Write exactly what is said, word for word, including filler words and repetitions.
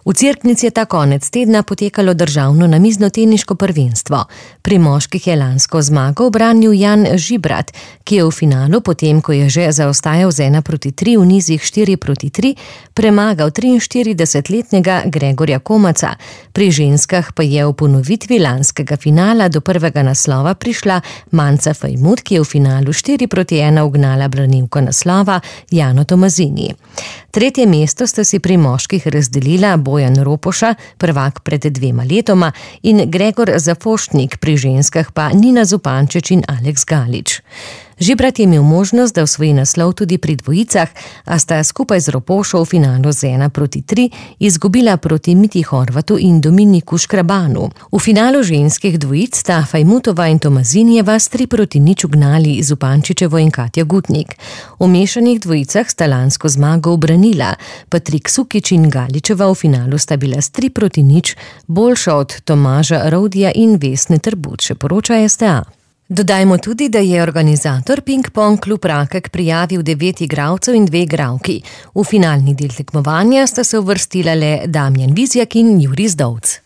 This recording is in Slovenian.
V Cerknici je ta konec tedna potekalo državno namiznoteniško prvenstvo. Pri moških je lansko zmago ubranil Jan Žibrat, ki je v finalu, potem ko je že zaostajal z ena proti tri v nizih štiri proti tri, premagal triinštiridesetletnega Gregorja Komaca. Pri ženskah pa je v ponovitvi lanskega finala do prvega naslova prišla Manca Fajmut, ki je v finalu štiri proti ena ugnala branilko naslova Jano Tomazini. Tretje mesto sta si pri moških razdelila Bojan Ropoša, prvak pred dvema letoma, in Gregor Zafoštnik, pri ženskah pa Nina Zupančič in Aleks Galič. Žibrat je imel možnost, da osvoji naslov tudi pri dvojicah, a sta skupaj z Ropošo v finalu z ena proti tri izgubila proti Miti Horvatu in Dominiku Škrabanu. V finalu ženskih dvojic sta Fajmutova in Tomazinjeva s tri proti nič ugnali Zupančičevo in Katja Gutnik. V mešanih dvojicah sta lansko zmago ubranila, Patrik Sukič in Galičeva v finalu sta bila s tri proti nič boljša od Tomaža Rovdija in Vesne Trbuč, še poroča S T A. Dodajmo tudi, da je organizator Ping Pong klub Rakek prijavil devet igralcev in dve igralki. V finalni del tekmovanja sta se uvrstila le Damjan Vizjak in Jurij Zdovc.